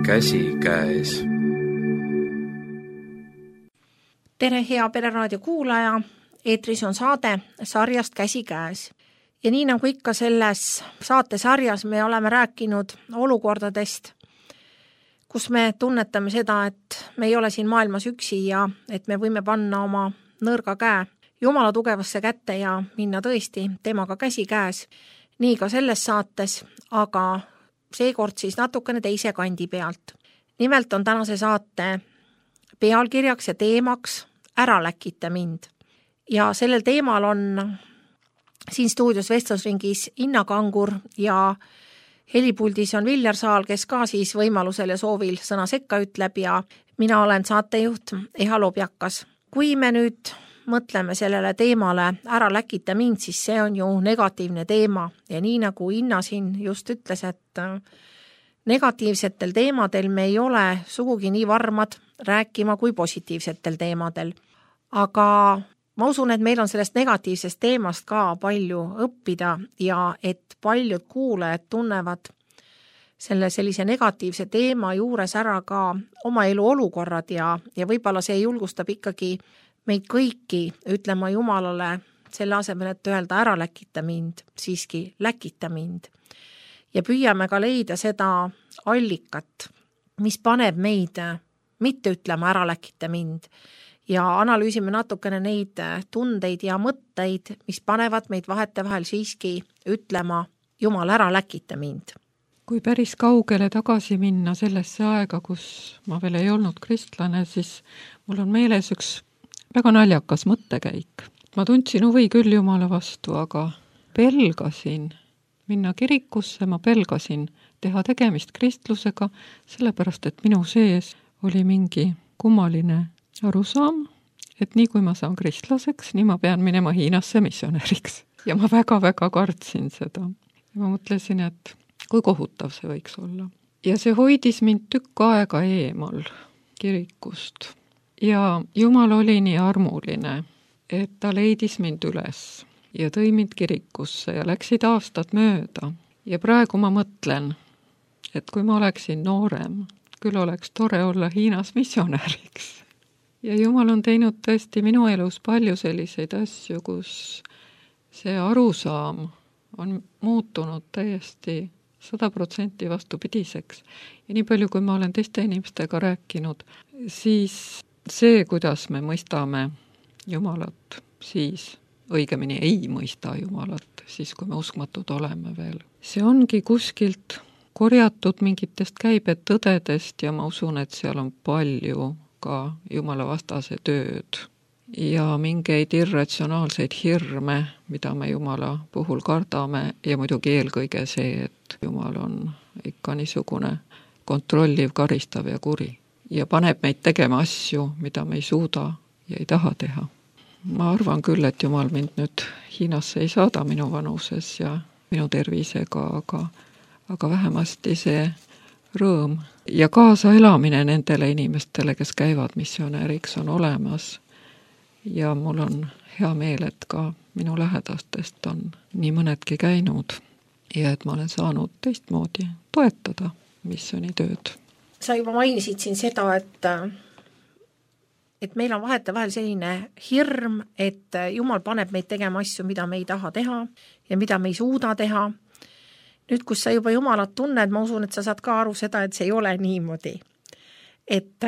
käsikäes. Tere, hea Pereraadio kuulaja! Eetris on saade sarjast Käsikäes. Ja nii nagu ikka selles saatesarjas me oleme rääkinud olukordadest, kus me tunnetame seda, et me ei ole siin maailmas üksi ja et me võime panna oma nõrga käe Jumala tugevasse kätte ja minna tõesti temaga käsikäes. Nii ka selles saates, aga seekord siis natukene teise kandi pealt. Nimelt on tänase saate pealkirjaks ja teemaks Ära läkita mind. Ja sellel teemal on siin stuudios vestlusringis Inna Kangur ja helipuldis on Viljar Saal, kes ka siis võimalusel ja soovil sõna sekka ütleb ja mina olen saatejuht Eha Lobjakas. Kui me nüüd mõtleme sellele teemale Ära läkita mind, siis see on ju negatiivne teema ja nii nagu Inna siin just ütles, et negatiivsetel teemadel me ei ole sugugi nii varmad rääkima kui positiivsetel teemadel. Aga ma usun, et meil on sellest negatiivsest teemast ka palju õppida ja et paljud kuulajad tunnevad sellise negatiivse teema juures ära ka oma elu olukorrad ja võib-olla see julgustab ikkagi meid kõiki ütlema Jumalale selle asemel, et öelda ära läkita mind, siiski läkita mind. Ja püüame ka leida seda allikat, mis paneb meid mitte ütlema ära läkita mind ja analüüsime natukene neid tundeid ja mõtteid, mis panevad meid vahetevahel siiski ütlema Jumal, ära läkita mind. Kui päris kaugele tagasi minna sellesse aega, kus ma veel ei olnud kristlane, siis mul on meeles üks väga naljakas mõttekäik. Ma tundsin huvi küll Jumala vastu, aga pelgasin minna kirikusse, ma pelgasin teha tegemist kristlusega, sellepärast et minu sees oli mingi kummaline arusaam, et nii kui ma saan kristlaseks, nii ma pean minema Hiinasse missionäriks. Ja ma väga-väga kartsin seda. Ja ma mõtlesin, et kui kohutav see võiks olla. Ja see hoidis mind tükk aega eemal kirikust. Ja Jumal oli nii armuline, et ta leidis mind üles ja tõi mind kirikusse ja läksid aastad mööda. Ja praegu ma mõtlen, et kui ma oleksin noorem, küll oleks tore olla Hiinas missionäriks. Ja Jumal on teinud tõesti minu elus palju selliseid asju, kus see arusaam on muutunud täiesti 100% vastupidiseks. Ja nii palju, kui ma olen teiste inimestega rääkinud, siis see, kuidas me mõistame Jumalat, siis õigemini ei mõista Jumalat, siis kui me uskmatud oleme veel. See ongi kuskilt korjatud mingitest käibetõdedest ja ma usun, et seal on palju ka Jumala vastase tööd ja mingeid irratsionaalseid hirme, mida me Jumala puhul kardame ja muidugi eelkõige see, et Jumal on ikka niisugune kontrolliv, karistav ja kuri ja paneb meid tegema asju, mida me ei suuda ja ei taha teha. Ma arvan küll, et Jumal mind nüüd Hiinasse ei saada minu vanuses ja minu tervisega, aga vähemasti see rõõm ja kaasaelamine nendele inimestele, kes käivad missionäriks, on olemas. Ja mul on hea meel, et ka minu lähedastest on nii mõnedki käinud ja et ma olen saanud teistmoodi toetada missionitööd. Sa juba mainisid siin seda, et meil on vahetevahel selline hirm, et Jumal paneb meid tegema asju, mida me ei taha teha ja mida me ei suuda teha. Nüüd, kus sa juba Jumalat tunned, ma usun, et sa saad ka aru seda, et see ei ole niimoodi. Et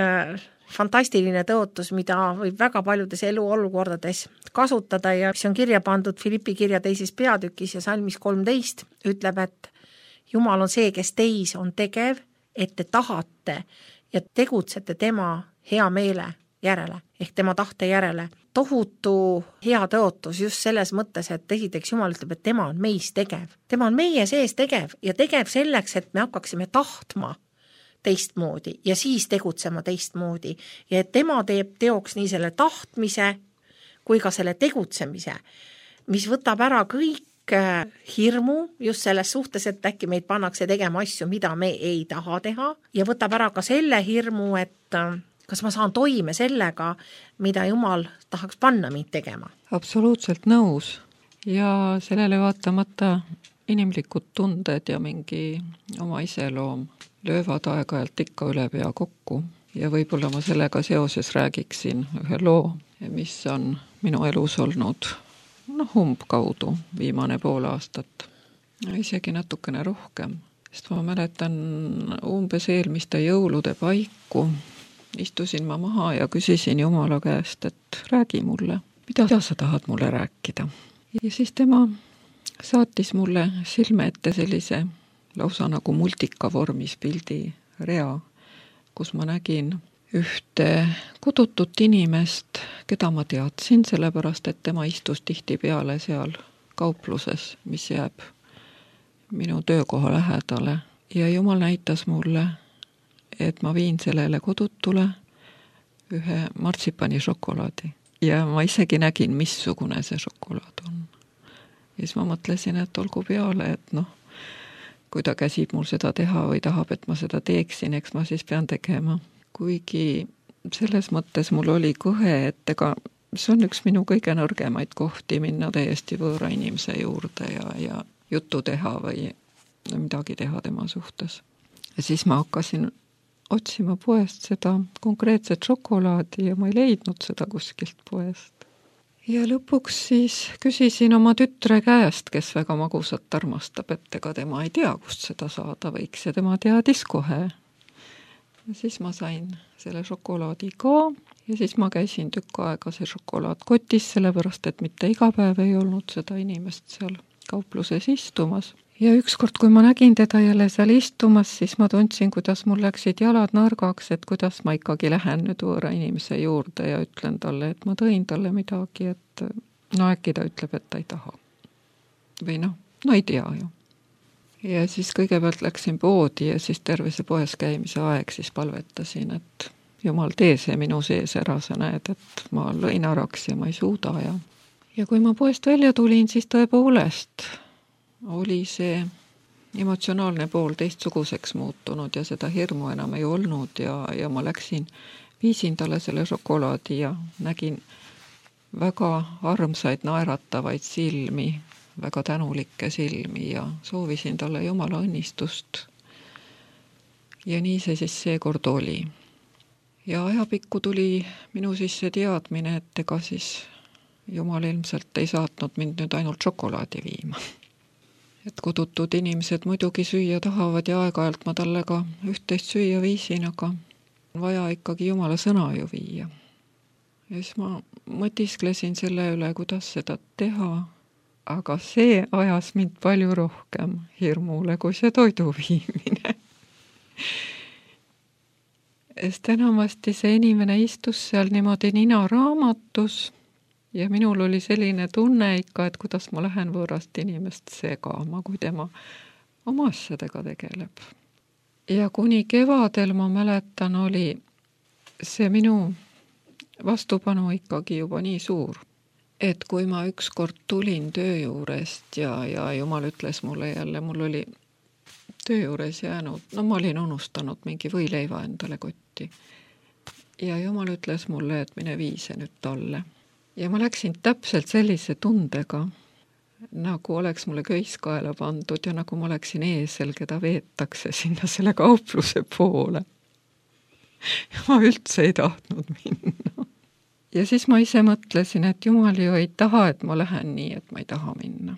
fantastiline tõotus, mida võib väga paljudes eluolukordades kasutada ja mis on kirja pandud Filippi kirja 2. peatükis ja salmis 13, ütleb, et Jumal on see, kes teis on tegev, et te tahate ja tegutsete tema hea meele järele, ehk tema tahte järele. Tohutu hea tõotus just selles mõttes, et esiteks Jumal ütleb, et tema on meis tegev. Tema on meie sees tegev ja tegev selleks, et me hakkaksime tahtma teistmoodi ja siis tegutsema teistmoodi. Ja et tema teeb teoks nii selle tahtmise kui ka selle tegutsemise, mis võtab ära kõik hirmu just selles suhtes, et äkki meid pannakse tegema asju, mida me ei taha teha ja võtab ära ka selle hirmu, et kas ma saan toime sellega, mida Jumal tahaks panna mind tegema? Absoluutselt nõus. Ja sellele vaatamata inimlikud tunded ja mingi oma iseloom löövad aeg-ajalt ikka üle pea kokku ja võib-olla ma sellega seoses räägiksin ühe loo, mis on minu elus olnud umbkaudu viimane pool aastat. Isegi natukene rohkem, sest ma mäletan umbes eelmiste jõulude paiku istusin ma maha ja küsisin Jumala käest, et räägi mulle, mida sa tahad mulle rääkida. Ja siis tema saatis mulle silme ette sellise lausa nagu multika vormis pildi rea, kus ma nägin ühte kodutut inimest, keda ma teadsin, sellepärast et tema istus tihtipeale seal kaupluses, mis jääb minu töökoha lähedale. Ja Jumal näitas mulle, et ma viin sellele kodutule ühe martsipani šokolaadi. Ja ma isegi nägin, missugune see šokolaad on. Ja siis ma mõtlesin, et olgu peale, et kui ta käsib mul seda teha või tahab, et ma seda teeksin, eks ma siis pean tegema. Kuigi selles mõttes mul oli kõhe, et ega see on üks minu kõige nõrgemaid kohti minna täiesti võõra inimese juurde ja juttu teha või midagi teha tema suhtes. Ja siis ma hakkasin otsima poest seda konkreetset šokolaadi ja ma ei leidnud seda kuskilt poest. Ja lõpuks siis küsisin oma tütre käest, kes väga magusat armastab, et ega tema ei tea, kust seda saada võiks ja tema teadis kohe. Ja siis ma sain selle šokolaadi ka ja siis ma käisin tükk aega see šokolaad kotis, sellepärast et mitte iga päev ei olnud seda inimest seal kaupluses istumas. Ja ükskord, kui ma nägin teda jälle seal istumas, siis ma tundsin, kuidas mul läksid jalad nõrgaks, et kuidas ma ikkagi lähen nüüd võõra inimese juurde ja ütlen talle, et ma tõin talle midagi, et äkki ta ütleb, et ta ei taha. Või ei tea ju. Ja siis kõigepealt läksin poodi ja siis terve see poes käimise aeg siis palvetasin, et Jumal, tee see minu sees ära, sa näed, et ma lõin araks ja ma ei suuda. Ja kui ma poest välja tulin, siis tõepoolest oli see emotsionaalne pool teistsuguseks muutunud ja seda hirmu enam ei olnud ja ma viisin talle selle šokolaadi ja nägin väga armsaid naeratavaid silmi, väga tänulikke silmi ja soovisin talle Jumala õnnistust. Ja nii see siis seekord oli. Ja ajapikku tuli minu sisse teadmine, et ega siis Jumal ilmselt ei saatnud mind nüüd ainult šokolaadi viima. Et kodutud inimesed muidugi süüa tahavad ja aeg-ajalt ma talle ka üht-teist süüa viisin, aga on vaja ikkagi Jumala sõna ju viia. Ja siis ma mõtisklesin selle üle, kuidas seda teha, aga see ajas mind palju rohkem hirmule, kui see toidu viimine. Sest enamasti see inimene istus seal niimoodi nina raamatus ja minul oli selline tunne ikka, et kuidas ma lähen võõrast inimest segama, kui tema oma asjadega tegeleb. Ja kuni kevadel ma mäletan, oli see minu vastupanu ikkagi juba nii suur, et kui ma ükskord tulin töö juurest ja Jumal ütles mulle jälle, mul oli töö juures jäänud, ma olin unustanud mingi võileiva endale kotti. Ja Jumal ütles mulle, et mine vii see nüüd talle. Ja ma läksin täpselt sellise tundega, nagu oleks mulle köis kaela pandud ja nagu ma oleksin eesel, keda veetakse sinna selle kaupluse poole. Ja ma üldse ei tahtnud minna. Ja siis ma ise mõtlesin, et Jumal ju ei taha, et ma lähen nii, et ma ei taha minna.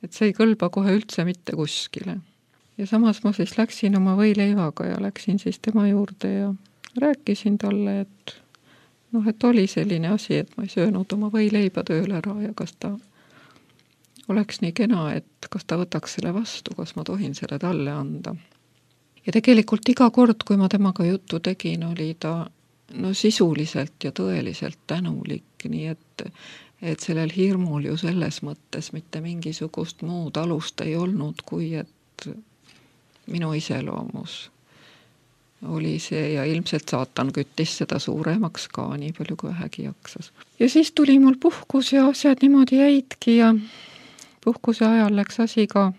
Et see ei kõlba kohe üldse mitte kuskile. Ja samas ma siis läksin oma võileivaga ja läksin siis tema juurde ja rääkisin talle, et oli selline asi, et ma ei söönud oma võileiba tööl ära ja kas ta oleks nii kena, et kas ta võtaks selle vastu, kas ma tohin selle talle anda. Ja tegelikult iga kord, kui ma temaga juttu tegin, oli ta sisuliselt ja tõeliselt tänulik, nii et sellel hirmul ju selles mõttes mitte mingisugust muud alust ei olnud, kui et minu iseloomus oli see ja ilmselt saatan küttis seda suuremaks ka nii palju kui vähegi jaksas. Ja siis tuli mul puhkus ja asjad niimoodi jäidki ja puhkuse ajal läks asi ka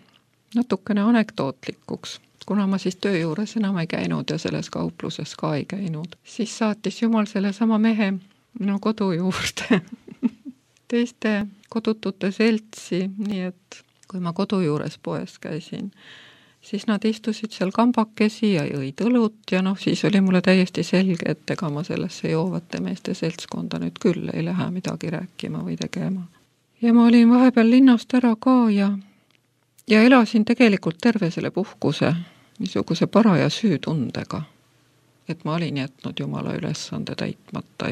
natukene anekdootlikuks. Kuna ma siis töö juures enam ei käinud ja selles kaupluses ka ei käinud, siis saatis Jumal selle sama mehe minu kodu juurde teiste kodutute seltsi, nii et kui ma kodu juures poes käisin, siis nad istusid seal kambakesi ja jõid õlut ja siis oli mulle täiesti selge, et ega ma sellesse joovate meeste seltskonda nüüd küll ei lähe midagi rääkima või tegema. Ja ma olin vahepeal linnast ära ka ja elasin tegelikult terve selle puhkuse niisuguse paraja süütundega. Et ma olin jätnud Jumala ülesande täitmata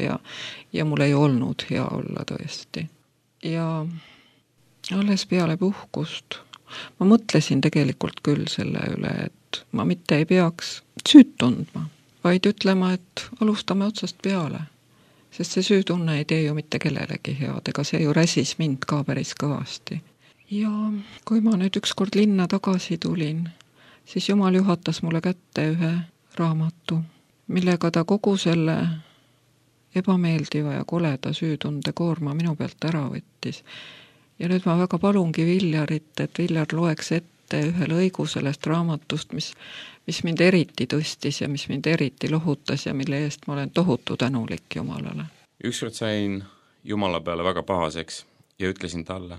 ja mul ei olnud hea olla tõesti. Ja alles peale puhkust ma mõtlesin tegelikult küll selle üle, et ma mitte ei peaks süüd tundma, vaid ütlema, et alustame otsast peale. Sest see süütunne ei tee ju mitte kellelegi head, ega see ju räsis mind ka päris kõvasti. Ja kui ma nüüd ükskord linna tagasi tulin, siis Jumal juhatas mulle kätte ühe raamatu, millega ta kogu selle ebameeldiva ja koleda süütunde koorma minu pealt ära võttis. Ja nüüd ma väga palungi Viljarit, et Viljar loeks ette ühe lõigu sellest raamatust, mis mind eriti tõstis ja mis mind eriti lohutas ja mille eest ma olen tohutu tänulik Jumalale. Ükskord sain Jumala peale väga pahaseks ja ütlesin talle,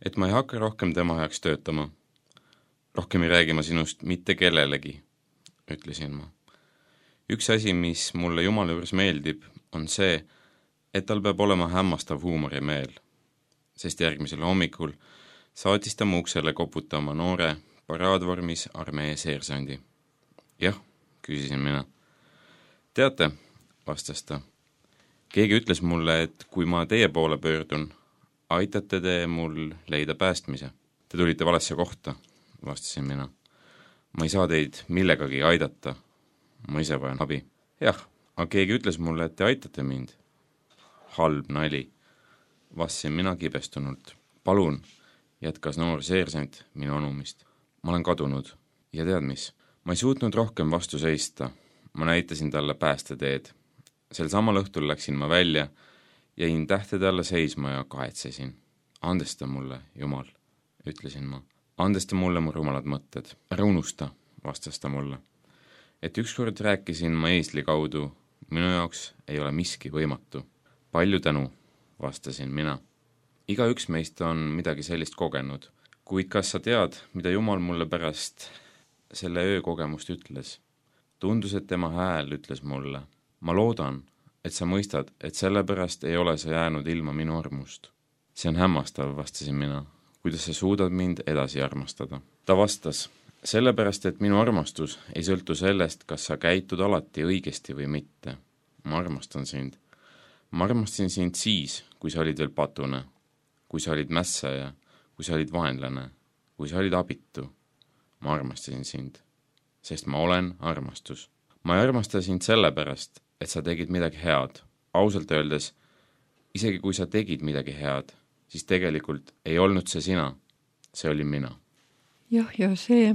et ma ei hakka rohkem tema heaks töötama. Rohkem ei räägi ma sinust mitte kellelegi, ütlesin ma. Üks asi, mis mulle Jumala juures meeldib, on see, et tal peab olema hämmastav huumorimeel. Sest järgmisel hommikul saatis ta mu uksele koputama noore paraadvormis armee seersandi. Jah, küsisin mina. Teate, vastas ta. Keegi ütles mulle, et kui ma teie poole pöördun, aitate te mul leida päästmise. Te tulite valesse kohta, vastasin mina. Ma ei saa teid millegagi aidata. Ma ise vajan abi. Jah, aga keegi ütles mulle, et te aitate mind. Halb nali. Vastasin mina kibestunult. Palun, jätkas noor seersant minu anumist. Ma olen kadunud. Ja tead mis? Ma ei suutnud rohkem vastu seista. Ma näitasin talle päästeteed. Sel samal õhtul läksin ma välja, jäin tähtede alla seisma ja kahetsesin. Andesta mulle, Jumal, ütlesin ma. Andesta mulle mu rumalad mõtted. Ära unusta, vastas ta mulle. Et ükskord rääkisin ma eesli kaudu, minu jaoks ei ole miski võimatu. Palju tänu, vastasin mina. Igaüks meist on midagi sellist kogenud, kuid kas sa tead, mida Jumal mulle pärast selle öökogemust ütles? Tundus, et tema hääl ütles mulle. Ma loodan, et sa mõistad, et sellepärast ei ole sa jäänud ilma minu armust. See on hämmastav, vastasin mina. Kuidas sa suudad mind edasi armastada? Ta vastas, sellepärast, et minu armastus ei sõltu sellest, kas sa käitud alati õigesti või mitte. Ma armastan sind. Ma armastasin sind siis, kui sa olid veel patune, kui sa olid mässaja, kui sa olid vaenlane, kui sa olid abitu. Ma armastasin sind, sest ma olen armastus. Ma ei armasta sind sellepärast, et sa tegid midagi head. Ausalt öeldes, isegi kui sa tegid midagi head, siis tegelikult ei olnud see sina, see oli mina. Jah, ja see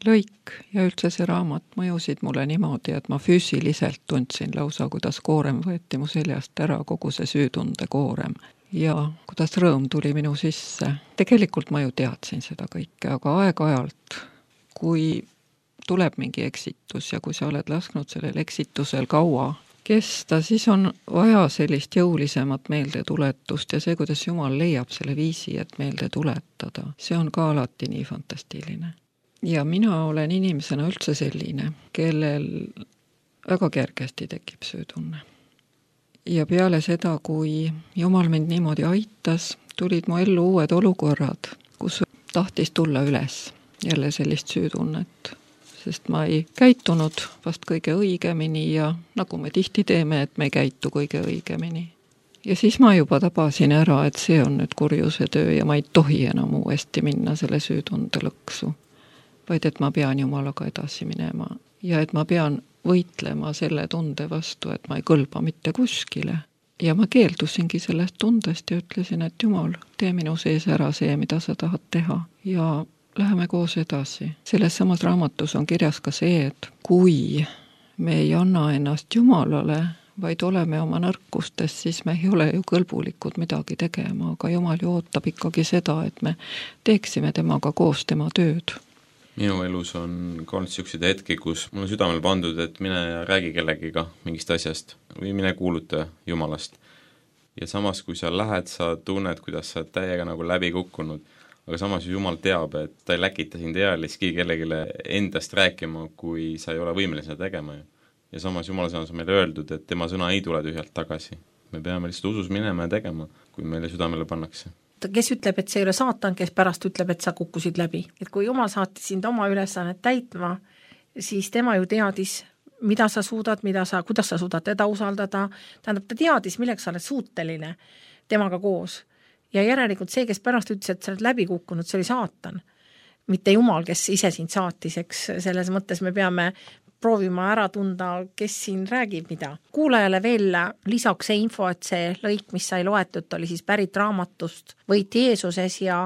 lõik ja üldse see raamat mõjusid mulle niimoodi, et ma füüsiliselt tundsin lausa, kuidas koorem võeti mu seljast ära, kogu see süütunde koorem. Ja kuidas rõõm tuli minu sisse. Tegelikult ma ju teadsin seda kõike, aga aeg-ajalt, kui tuleb mingi eksitus ja kui sa oled lasknud sellel eksitusel kaua kesta, siis on vaja sellist jõulisemat meeldetuletust ja see, kuidas Jumal leiab selle viisi, et meelde tuletada, see on ka alati nii fantastiline. Ja mina olen inimesena üldse selline, kellel väga kergesti tekib süütunne. Ja peale seda, kui Jumal mind niimoodi aitas, tulid mu ellu uued olukorrad, kus tahtis tulla üles jälle sellist süütunnet. Sest ma ei käitunud vast kõige õigemini ja nagu me tihti teeme, et me ei käitu kõige õigemini. Ja siis ma juba tabasin ära, et see on nüüd kurjuse töö ja ma ei tohi enam uuesti minna selle süütunde lõksu, vaid et ma pean Jumalaga edasi minema ja et ma pean võitlema selle tunde vastu, et ma ei kõlba mitte kuskile. Ja ma keeldusingi sellest tundest ja ütlesin, et Jumal, tee minu sees ära see, mida sa tahad teha ja läheme koos edasi. Selles samas raamatus on kirjas ka see, et kui me ei anna ennast Jumalale, vaid oleme oma nõrkustes, siis me ei ole ju kõlbulikud midagi tegema, aga Jumal ju ootab ikkagi seda, et me teeksime temaga koos tema tööd. Minu elus on ka olnud selliseid hetki, kus mul on südamel pandud, et mine ja räägi kellegiga mingist asjast või mine kuuluta Jumalast. Ja samas, kui sa lähed, sa tunned, kuidas sa täiega nagu läbi kukkunud. aga samas Jumal teab, et ta ei läkita sind ealiski kellelegi endast rääkima, kui sa ei ole võimeline seda tegema. Ja samas Jumala sõnas on meile öeldud, et tema sõna ei tule tühjalt tagasi. Me peame lihtsalt usus minema ja tegema, kui meile südamele pannakse. Kes ütleb, et see ei ole saatan, kes pärast ütleb, et sa kukkusid läbi. Et kui Jumal saatis sind oma ülesannet täitma, siis tema ju teadis, mida sa suudad, kuidas sa suudad teda usaldada, tähendab, ta teadis, milleks sa oled suuteline temaga koos. Ja järelikult see, kes pärast ütles, et sa oled läbi kukkunud, see oli saatan. Mitte Jumal, kes ise sind saatis, eks selles mõttes me peame proovima ära tunda, kes siin räägib mida. Kuulajale veel lisaks see info, et see lõik, mis sai loetud, oli siis pärit raamatust Võit Jeesuses ja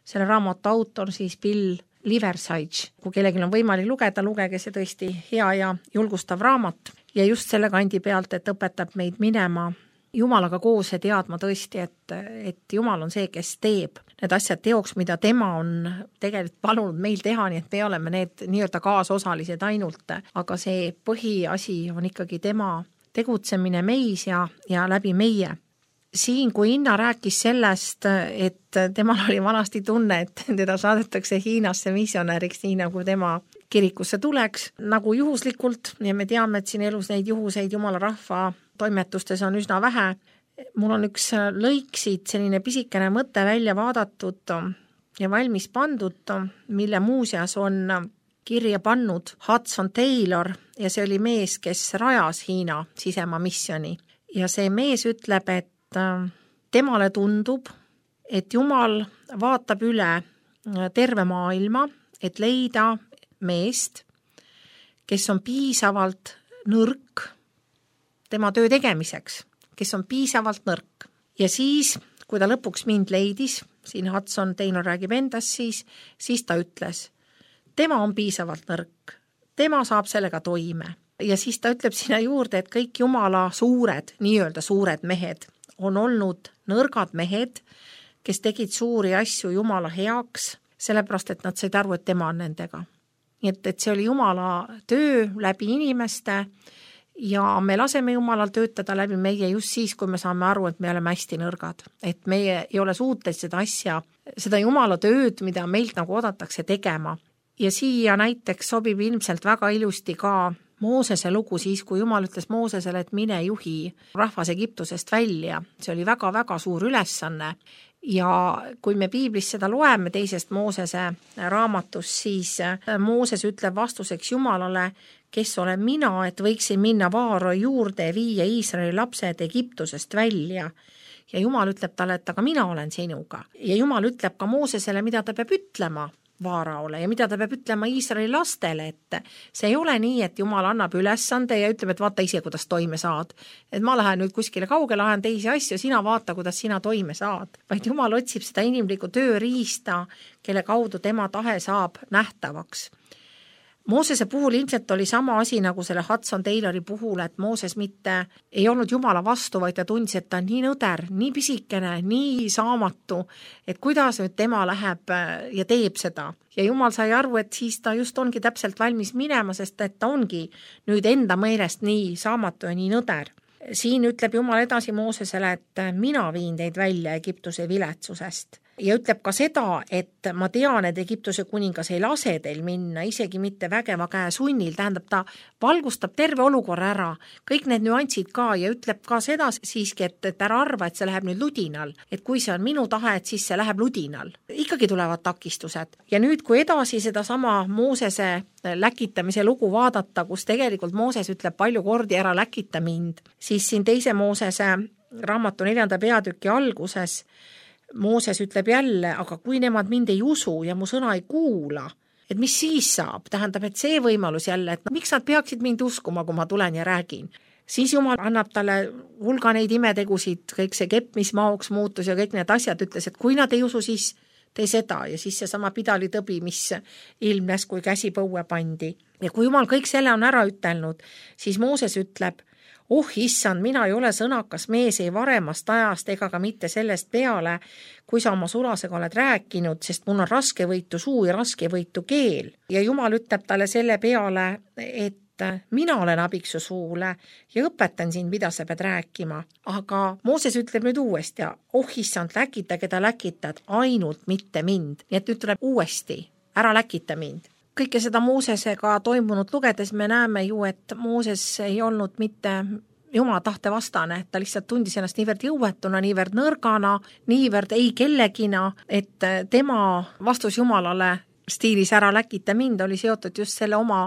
selle raamatu autor siis Bill Liversidge. Kui kellelgi on võimalik lugeda, lugege see tõesti hea ja julgustav raamat ja just selle kandi pealt, et õpetab meid minema Jumalaga koos ja teadma tõesti, et Jumal on see, kes teeb need asjad teoks, mida tema on tegelikult palunud meil teha, nii et me oleme need nii-öelda kaasosalised ainult, aga see põhiasi on ikkagi tema tegutsemine meis ja läbi meie. Siin, kui Inna rääkis sellest, et temal oli vanasti tunne, et teda saadetakse Hiinasse missionäriks, nii nagu tema kirikusse tuleks, nagu juhuslikult, ja me teame, et siin elus neid juhuseid Jumala rahva toimetustes on üsna vähe. Mul on üks lõik siit, selline pisikene mõte välja vaadatud ja valmis pandud, mille muuseas on kirja pannud Hudson Taylor ja see oli mees, kes rajas Hiina sisemaa missioni. Ja see mees ütleb, et temale tundub, et Jumal vaatab üle terve maailma, et leida meest, kes on piisavalt nõrk tema töö tegemiseks, kes on piisavalt nõrk. Ja siis, kui ta lõpuks mind leidis, siin Hudson Taylor räägib endast, siis ta ütles, tema on piisavalt nõrk, tema saab sellega toime. Ja siis ta ütleb sinna juurde, et kõik Jumala suured, nii-öelda suured mehed on olnud nõrgad mehed, kes tegid suuri asju Jumala heaks, sellepärast, et nad said aru, et tema on nendega. Nii et see oli Jumala töö läbi inimeste ja me laseme Jumalal töötada läbi meie just siis, kui me saame aru, et me oleme hästi nõrgad. Et meie ei ole suutelised seda asja, seda Jumala tööd, mida meilt nagu oodatakse tegema. Ja siia näiteks sobib ilmselt väga ilusti ka Moosese lugu siis, kui Jumal ütles Moosesele, et mine juhi rahvas Egiptusest välja. See oli väga-väga suur ülesanne. Ja kui me piiblis seda loeme teisest Moosese raamatus, siis Mooses ütleb vastuseks Jumalale, kes olen mina, et võiksin minna Vaaro juurde ja viia Iisraeli lapsed Egiptusest välja. Ja Jumal ütleb talle, et aga mina olen sinuga. Ja Jumal ütleb ka Moosesele, mida ta peab ütlema Vaaraole ja mida ta peab ütlema Iisraeli lastele, et see ei ole nii, et Jumal annab ülesande ja ütleb, et vaata ise, kuidas toime saad. Et ma lähen nüüd kuskile kaugele, ajan teisi asju, sina vaata, kuidas sina toime saad. Vaid Jumal otsib seda inimlikku tööriista, kelle kaudu tema tahe saab nähtavaks. Moosese puhul ilmselt oli sama asi nagu selle Hudson Taylori puhul, et Mooses mitte ei olnud Jumala vastu, vaid ta tundis, et ta on nii nõder, nii pisikene, nii saamatu, et kuidas nüüd tema läheb ja teeb seda. Ja Jumal sai aru, et siis ta just ongi täpselt valmis minema, sest et ta ongi nüüd enda meelest nii saamatu ja nii nõder. Siin ütleb Jumal edasi Moosesele, et mina viin teid välja Egiptuse viletsusest. Ja ütleb ka seda, et ma tean, et Egiptuse kuningas ei lase teil minna, isegi mitte vägeva käe sunnil, tähendab ta valgustab terve olukorra ära, kõik need nüansid ka ja ütleb ka seda siiski, et ära arva, et see läheb nüüd ludinal, et kui see on minu tahe, et siis see läheb ludinal. Ikkagi tulevad takistused. Ja nüüd, kui edasi seda sama Moosese läkitamise lugu vaadata, kus tegelikult Mooses ütleb palju kordi ära läkita mind, siis siin teise Moosese raamatu 4. peatüki alguses Mooses ütleb jälle, aga kui nemad mind ei usu ja mu sõna ei kuula, et mis siis saab? Tähendab, et see võimalus jälle, et miks nad peaksid mind uskuma, kui ma tulen ja räägin? Siis Jumal annab talle hulga neid imetegusid, kõik see kepp, mis maoks muutus ja kõik need asjad, ütles, et kui nad ei usu, siis tee seda ja siis see sama pidalitõbi, mis ilmnes, kui käsi põue pandi. Ja kui Jumal kõik selle on ära ütelnud, siis Mooses ütleb, issand, mina ei ole sõnakas mees ei varemast ajast ega ka mitte sellest peale, kui sa oma sulasega oled rääkinud, sest mul on raskevõitu suu ja raskevõitu keel. Ja Jumal ütleb talle selle peale, et mina olen abiks su suule ja õpetan sind, mida sa pead rääkima. Aga Mooses ütleb nüüd uuesti, oh issand, läkita, keda läkitad, ainult mitte mind. Nii et nüüd tuleb uuesti, ära läkita mind. Kõike seda Moosesega toimunud lugedes me näeme ju, et Mooses ei olnud mitte Jumala tahte vastane, ta lihtsalt tundis ennast niivõrd jõuetuna, niivõrd nõrgana, niivõrd ei kellegina, et tema vastus Jumalale stiilis ära läkita mind oli seotud just selle oma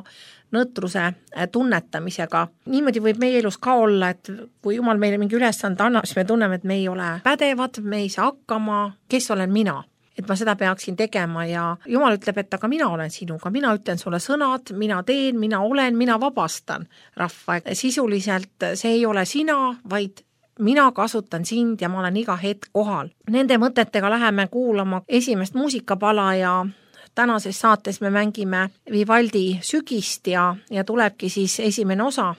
nõtruse tunnetamisega. Niimoodi võib meie elus ka olla, et kui Jumal meile mingi ülesande annab, siis me tunneme, et me ei ole pädevad, me ei saa hakkama, kes olen mina, et ma seda peaksin tegema ja Jumal ütleb, et aga mina olen sinuga, mina ütlen sulle sõnad, mina teen, mina olen, mina vabastan rahva. Sisuliselt see ei ole sina, vaid mina kasutan sind ja ma olen iga hetk kohal. Nende mõtetega läheme kuulama esimest muusikapala ja tänases saates me mängime Vivaldi Sügist ja tulebki siis esimene osa.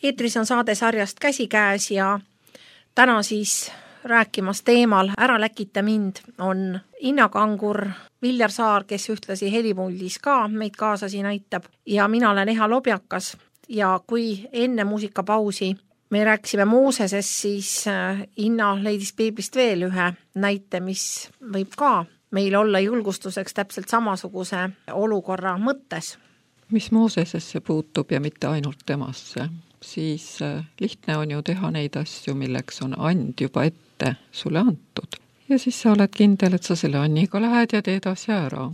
eetris on saade sarjast Käsikäes ja täna siis rääkimas teemal Ära läkita mind on Inna Kangur, Viljar Saar, kes ühtlasi helipuldis ka meid kaasasi näitab ja mina olen Eha Lobjakas ja kui enne muusikapausi me rääkisime Moosesest, siis Inna leidis piiblist veel ühe näite, mis võib ka meil olla julgustuseks täpselt samasuguse olukorra mõttes. Mis Moosesesse puutub ja mitte ainult temasse, siis lihtne on ju teha neid asju, milleks on and juba ette sulle antud. Ja siis sa oled kindel, et sa selle anniga lähed ja teed asja ära.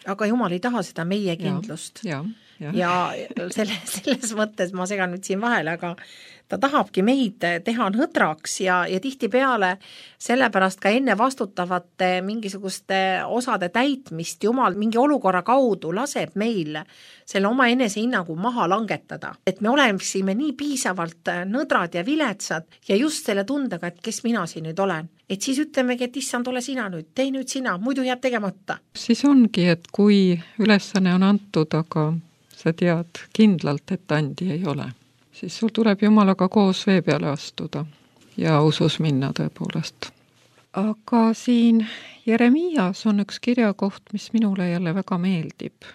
Aga Jumal ei taha seda meie kindlust. Ja selles mõttes ma segan nüüd siin vahele, aga ta tahabki meid teha nõdraks ja tihtipeale sellepärast ka enne vastutavate mingisuguste osade täitmist Jumal mingi olukorra kaudu laseb meil selle oma enesehinnangu maha langetada. Et me oleksime nii piisavalt nõdrad ja viletsad ja just selle tundega, et kes mina siin nüüd olen. Et siis ütlemegi, et issand, ole sina nüüd, tee nüüd sina, muidu jääb tegemata. Siis ongi, et kui ülesanne on antud, aga sa tead kindlalt, et andi ei ole, siis sul tuleb Jumalaga koos vee peale astuda ja usus minna tõepoolest. Aga siin Jeremias on üks kirjakoht, mis minule jälle väga meeldib.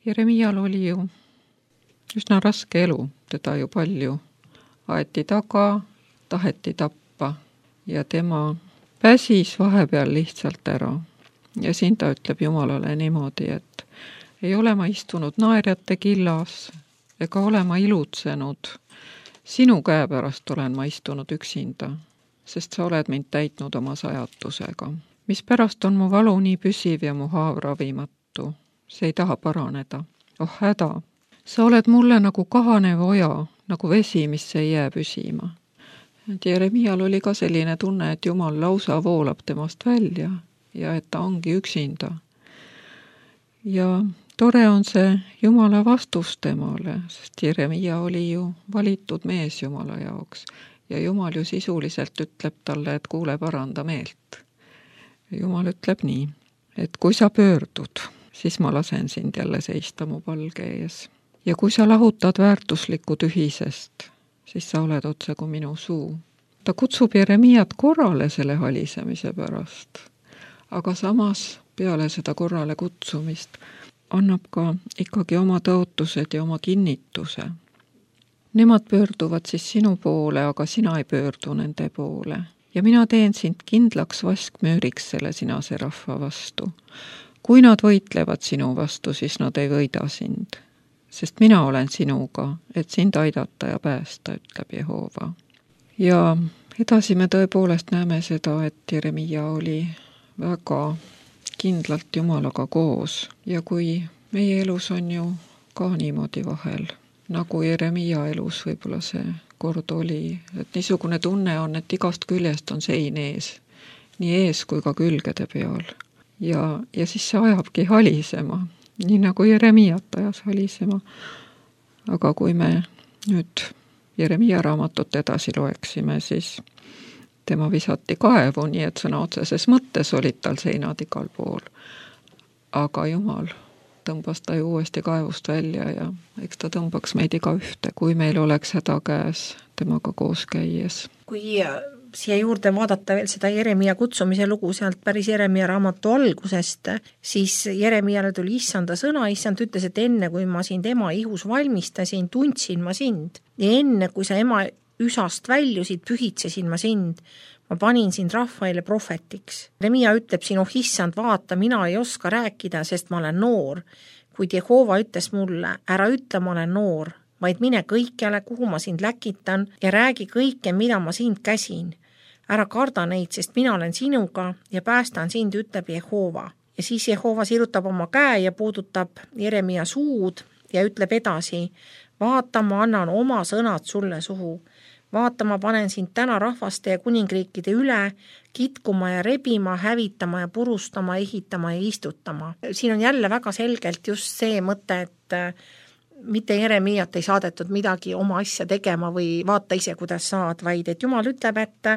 Jeremial oli ju üsna raske elu, teda ju palju aeti taga, taheti tappa ja tema pääsis vahepeal lihtsalt ära. Ja siin ta ütleb Jumalale niimoodi, et ei ole ma istunud naerjate killas ega ole ma ilutsenud. Sinu käe pärast olen ma istunud üksinda, sest sa oled mind täitnud oma sajatusega. Mis pärast on mu valu nii püsiv ja mu haav ravimatu. See ei taha paraneda. Oh häda, sa oled mulle nagu kahanev oja, nagu vesi, mis ei jää püsima. Jeremial oli ka selline tunne, et Jumal lausa voolab temast välja ja et ta ongi üksinda. Ja tore on see Jumala vastus temale, sest Jeremia oli ju valitud mees Jumala jaoks ja Jumal ju sisuliselt ütleb talle, et kuule, paranda meelt. Jumal ütleb nii, et kui sa pöördud, siis ma lasen sind jälle seista mu palge ees. Ja kui sa lahutad väärtuslikku tühisest, siis sa oled otse kui minu suu. Ta kutsub Jeremiat korrale selle halisemise pärast, aga samas peale seda korrale kutsumist annab ka ikkagi oma tõotused ja oma kinnituse. Nemad pöörduvad siis sinu poole, aga sina ei pöördu nende poole. Ja mina teen sind kindlaks vaskmüüriks selle sinase rahva vastu. Kui nad võitlevad sinu vastu, siis nad ei võida sind. Sest mina olen sinuga, et sind aidata ja päästa, ütleb Jehova. Ja edasi me tõepoolest näeme seda, et Jeremia oli väga kindlalt Jumalaga koos ja kui meie elus on ju ka niimoodi vahel, nagu Jeremia elus võib-olla see kord oli, et niisugune tunne on, et igast küljest on sein ees, nii ees kui ka külgede peal ja siis see ajabki halisema, nii nagu Jeremiat ajas halisema. Aga kui me nüüd Jeremia raamatut edasi loeksime, siis tema visati kaevu, nii et sõna otseses mõttes olid tal seinad igal pool. Aga Jumal tõmbas ta ju uuesti kaevust välja ja eks ta tõmbaks meid iga ühte, kui meil oleks häda käes temaga koos käies. Kui siia juurde vaadata veel seda Jeremia kutsumise lugu sealt päris Jeremia raamatu algusest, siis Jeremiale tuli issanda sõna, issand ütles, et enne kui ma sind ema ihus valmistasin, tundsin ma sind ja enne kui sa ema üsast väljusid, pühitsesin ma sind. Ma panin sind rahvaile prohvetiks. Jeremia ütleb siin, oh issand, vaata, mina ei oska rääkida, sest ma olen noor. Kuid Jehova ütles mulle, ära ütle, ma olen noor, vaid mine kõikjale, kuhu ma sind läkitan ja räägi kõike, mida ma sind käsin. Ära karda neid, sest mina olen sinuga ja päästan sind, ütleb Jehova. Ja siis Jehova sirutab oma käe ja puudutab Jeremia suud ja ütleb edasi, vaata, ma annan oma sõnad sulle suhu. Vaata, ma panen sind täna rahvaste ja kuningriikide üle, kitkuma ja rebima, hävitama ja purustama, ehitama ja istutama. Siin on jälle väga selgelt just see mõte, et mitte Jeremiat ei saadetud midagi oma asja tegema või vaata ise, kuidas saad, vaid et Jumal ütleb, et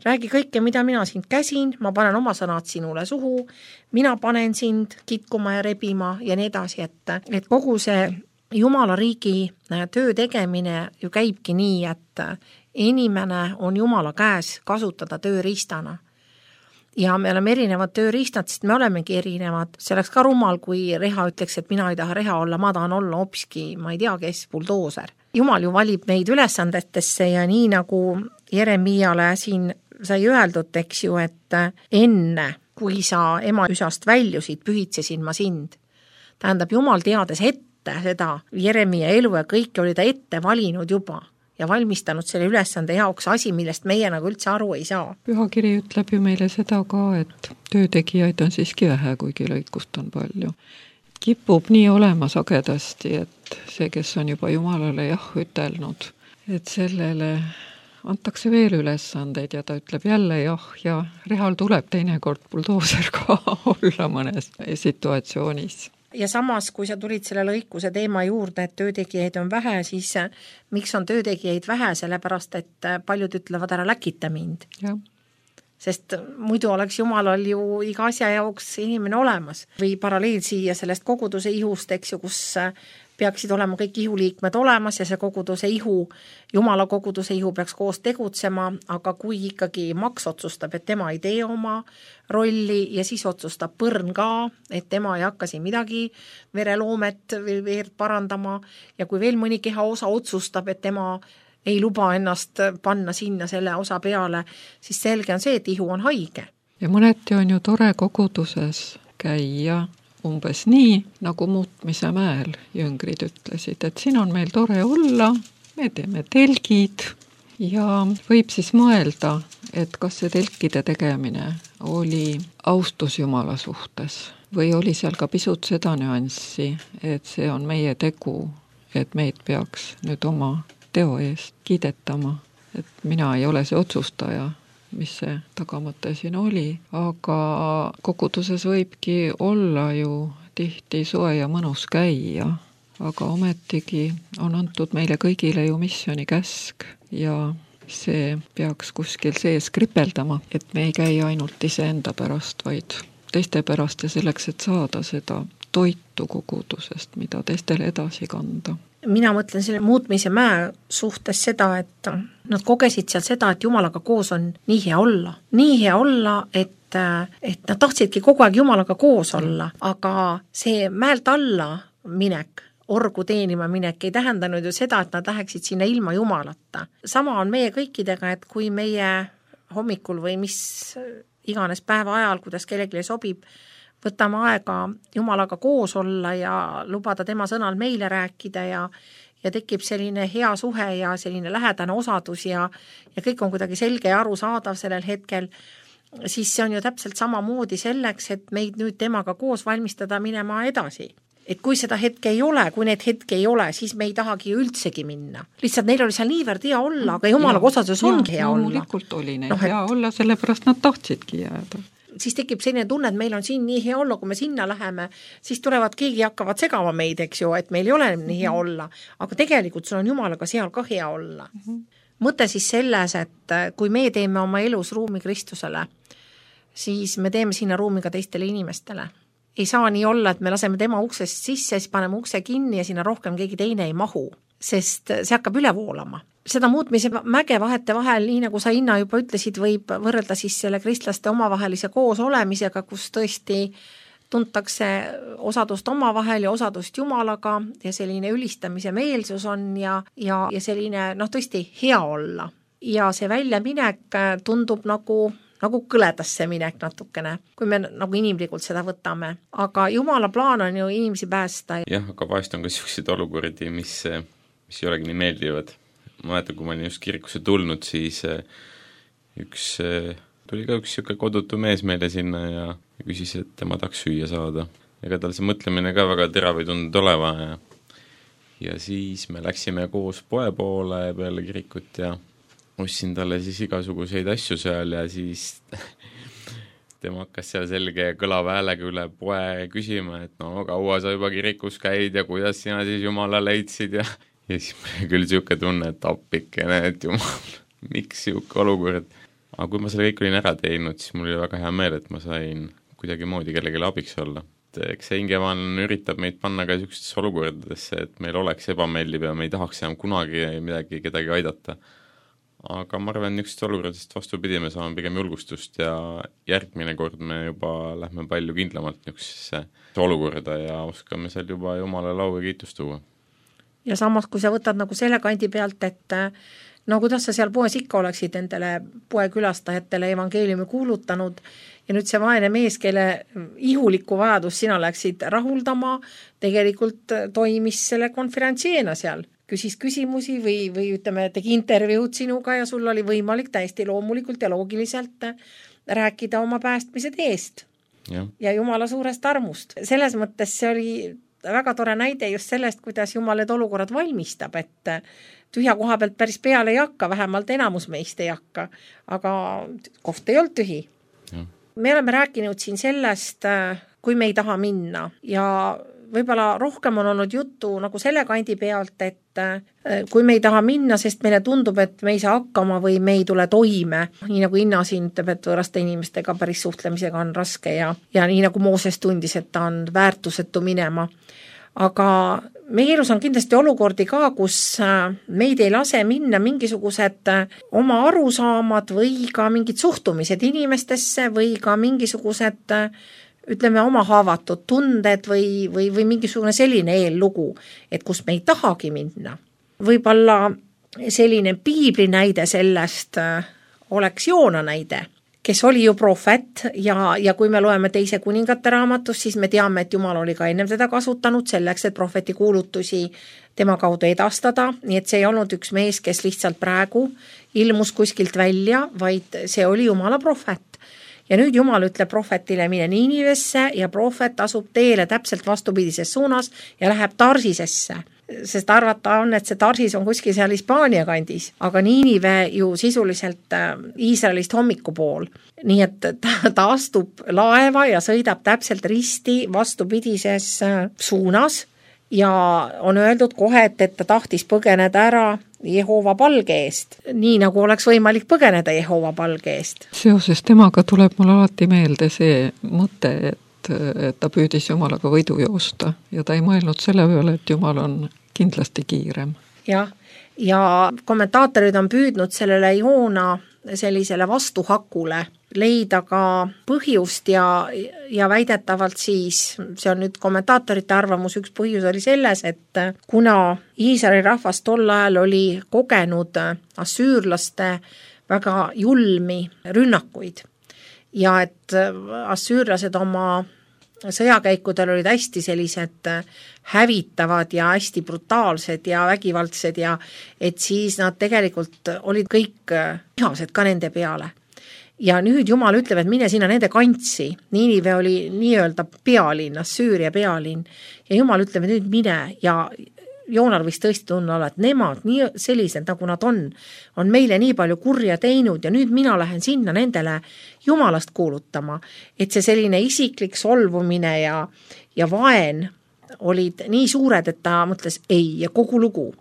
räägi kõike, mida mina sind käsin, ma panen oma sõnad sinule suhu, mina panen sind kitkuma ja rebima ja nii edasi, et kogu see Jumala riigi töö tegemine ju käibki nii, et inimene on Jumala käes kasutada tööriistana. Ja me oleme erinevad tööriistad, sest me olemegi erinevad. See oleks ka rumal, kui Reha ütleks, et mina ei taha Reha olla, ma tahan olla hoopiski, ma ei tea, kes, buldooser. Jumal ju valib meid ülesandetesse ja nii nagu Jeremiale siin sai öeldud, eks ju, et enne, kui sa ema üsast väljusid, pühitsesin ma sind. Tähendab, Jumal teades ette seda Jeremia elu ja kõike oli ta ette valinud juba ja valmistanud selle ülesande jaoks asi, millest meie nagu üldse aru ei saa. Pühakiri ütleb ju meile seda ka, et töötegijaid on siiski vähe, kuigi lõikust on palju. Kipub nii olema sagedasti, et see, kes on juba Jumalale jah ütelnud, et sellele antakse veel ülesandeid ja ta ütleb jälle jah ja Rehal tuleb teinekord buldooser ka olla mõnes situatsioonis. Ja samas, kui sa tulid selle lõikuse teema juurde, et töötegijaid on vähe, siis miks on töötegijaid vähe, sellepärast, et paljud ütlevad ära läkita mind. Ja. Sest muidu oleks Jumalal ju iga asja jaoks inimene olemas. Või paralleel siia sellest koguduse ihust, eks ju, kus peaksid olema kõik ihuliikmed olemas ja see koguduse ihu, Jumala koguduse ihu peaks koos tegutsema, aga kui ikkagi Maks otsustab, et tema ei tee oma rolli ja siis otsustab Põrn ka, et tema ei hakka siin midagi vereloomet või veerd parandama ja kui veel mõni keha osa otsustab, et tema ei luba ennast panna sinna selle osa peale, siis selge on see, et ihu on haige. Ja mõneti on ju tore koguduses käia umbes nii, nagu Muutmise mäel jüngrid ütlesid, et siin on meil tore olla, me teeme telgid ja võib siis mõelda, et kas see telkide tegemine oli austus Jumala suhtes või oli seal ka pisut seda nüanssi, et see on meie tegu, et meid peaks nüüd oma teo eest kiidetama, et mina ei ole see otsustaja, mis see tagamõte siin oli, aga koguduses võibki olla ju tihti soe ja mõnus käia, aga ometigi on antud meile kõigile ju missiooni käsk ja see peaks kuskil sees kripeldama, et me ei käi ainult iseenda pärast, vaid teiste pärast ja selleks, et saada seda toitu kogudusest, mida teistele edasi kanda. Mina mõtlen selle Muutmise mäe suhtes seda, et nad kogesid seal seda, et Jumalaga koos on nii hea olla. Nii hea olla, et nad tahtsidki kogu aeg Jumalaga koos olla, aga see mäelt alla minek, orgu teenima minek ei tähendanud ju seda, et nad läheksid sinna ilma Jumalata. Sama on meie kõikidega, et kui meie hommikul või mis iganes päeva ajal, kuidas kellelegi sobib, võtame aega Jumalaga koos olla ja lubada tema sõnal meile rääkida ja tekib selline hea suhe ja selline lähedane osadus ja kõik on kuidagi selge ja arusaadav sellel hetkel, siis see on ju täpselt samamoodi selleks, et meid nüüd temaga koos valmistada minema edasi. Et kui seda hetke ei ole, kui need hetke ei ole, siis me ei tahagi üldsegi minna. Lihtsalt neil oli seal niivõrd hea olla, aga Jumalaga osadus ongi hea olla. Loomulikult oli neil hea olla, sellepärast nad tahtsidki jääda. Siis tekib selline tunne, et meil on siin nii hea olla, kui me sinna läheme, siis tulevad keegi hakkavad segama meid, eks ju, et meil ei ole nii hea olla, aga tegelikult sul on Jumalaga seal ka hea olla. Mõte siis selles, et kui me teeme oma elus ruumi Kristusele, siis me teeme sinna ruumi ka teistele inimestele. Ei saa nii olla, et me laseme tema uksest sisse, siis paneme ukse kinni ja sinna rohkem keegi teine ei mahu, sest see hakkab üle voolama. Seda Muutmise mäge vahete vahel, nii nagu sa Inna juba ütlesid, võib võrrelda siis selle kristlaste omavahelise koos olemisega, kus tõesti tuntakse osadust omavahel ja osadust Jumalaga ja selline ülistamise meelsus on ja selline tõesti hea olla. Ja see väljaminek tundub nagu kõledasse minek natukene, kui me nagu inimlikult seda võtame. Aga Jumala plaan on ju inimesi päästa. Jah, aga vahest on ka sellised olukordi, mis ei olegi nii meeldivad. Ma mäletan, kui ma olin just kirikusse tulnud, siis tuli ka üks siuke kodutu mees meile sinna ja küsis, et tema tahaks süüa saada. Ega tal see mõtlemine ka väga terav ei tunnud oleva ja siis me läksime koos poe poole peale kirikut ja ostsin talle siis igasuguseid asju seal ja siis tema hakkas seal selge kõlava häälega üle poe küsima, et no kaua sa juba kirikus käid ja kuidas sina siis Jumala leidsid ja siis küll siuke tunne, et appikene, et Jumal, miks siuke olukord. Aga kui ma selle kõik olin ära teinud, siis mul oli väga hea meel, et ma sain kuidagi moodi kellelegi abiks olla. eks see hingemaailm üritab meid panna ka niisugustesse olukordadesse, et meil oleks ebameeldiv ja me ei tahaks enam kunagi kedagi aidata. Aga ma arvan, niisugustest olukordadest vastupidi, me saame pigem julgustust ja järgmine kord me juba lähme palju kindlamalt niisugusesse olukorda ja oskame seal juba Jumala lau ja kiitust tuua. Ja samas, kui sa võtad nagu selle kandi pealt, et no kuidas sa seal poes ikka oleksid nendele poekülastajatele evangeeliumi kuulutanud ja nüüd see vaene mees, kelle ihulikku vajadus sina läksid rahuldama, tegelikult toimis selle konverentsieena seal, küsis küsimusi või ütleme, tegi intervjuud sinuga ja sul oli võimalik täiesti loomulikult ja loogiliselt rääkida oma päästmise teest ja Jumala suurest armust. Selles mõttes see oli väga tore näide just sellest, kuidas Jumal need olukorrad valmistab, et tühja koha pealt päris peale ei hakka, vähemalt enamus meist ei hakka, aga koht ei olnud tühi. Me oleme rääkinud siin sellest, kui me ei taha minna ja võib-olla rohkem on olnud juttu nagu selle kandi pealt, et kui me ei taha minna, sest meile tundub, et me ei saa hakkama või me ei tule toime, nii nagu Inna siin ütleb, et võõraste inimestega päris suhtlemisega on raske ja nii nagu Mooses tundis, et ta on väärtusetu minema. Aga meie elus on kindlasti olukordi ka, kus meid ei lase minna mingisugused oma arusaamad või ka mingid suhtumised inimestesse või ka mingisugused ütleme oma haavatud tunded või mingisugune selline eellugu, et kus me ei tahagi minna. Võib-olla selline piibli näide sellest oleks Joona näide, kes oli ju prohvet ja kui me loeme teise kuningate raamatust, siis me teame, et Jumal oli ka ennem teda kasutanud selleks, et prohveti kuulutusi tema kaudu edastada, nii et see ei olnud üks mees, kes lihtsalt praegu ilmus kuskilt välja, vaid see oli Jumala prohvet. Ja nüüd Jumal ütleb prohvetile mine Niinivesse ja prohvet asub teele täpselt vastupidises suunas ja läheb Tarsisesse. Sest arvata on, et see Tarsis on kuskil seal Hispaania kandis, aga Niinive ju sisuliselt Iisraelist hommikupool. Nii et ta astub laeva ja sõidab täpselt risti vastupidises suunas ja on öeldud kohe, et ta tahtis põgeneda ära Jehova palge eest, nii nagu oleks võimalik põgeneda Jehova palge eest. Seoses temaga tuleb mul alati meelde see mõte, et ta püüdis Jumalaga võidu joosta ja ta ei mõelnud selle peale, et Jumal on kindlasti kiirem. Jah, ja kommentaatorid on püüdnud sellele Joona sellisele vastuhakule leida ka põhjust ja väidetavalt siis, see on nüüd kommentaatorite arvamus, üks põhjus oli selles, et kuna Iisraeli rahvas tol ajal oli kogenud assüürlaste väga julmi rünnakuid ja et assüürlased oma sõjakäikudel olid hästi sellised hävitavad ja hästi brutaalsed ja vägivaldsed ja et siis nad tegelikult olid kõik vihased ka nende peale. Ja nüüd Jumal ütleb, et mine sinna nende kantsi. Niinive oli nii-öelda pealinn, Assüüria pealinn. Ja Jumal ütleb, et nüüd mine ja Joonal võis tõesti tunne olla, et nemad nii sellised, nagu nad on meile nii palju kurja teinud ja nüüd mina lähen sinna nendele Jumalast kuulutama. Et see selline isiklik solvumine ja vaen olid nii suured, et ta mõtles ei ja kogu lugu.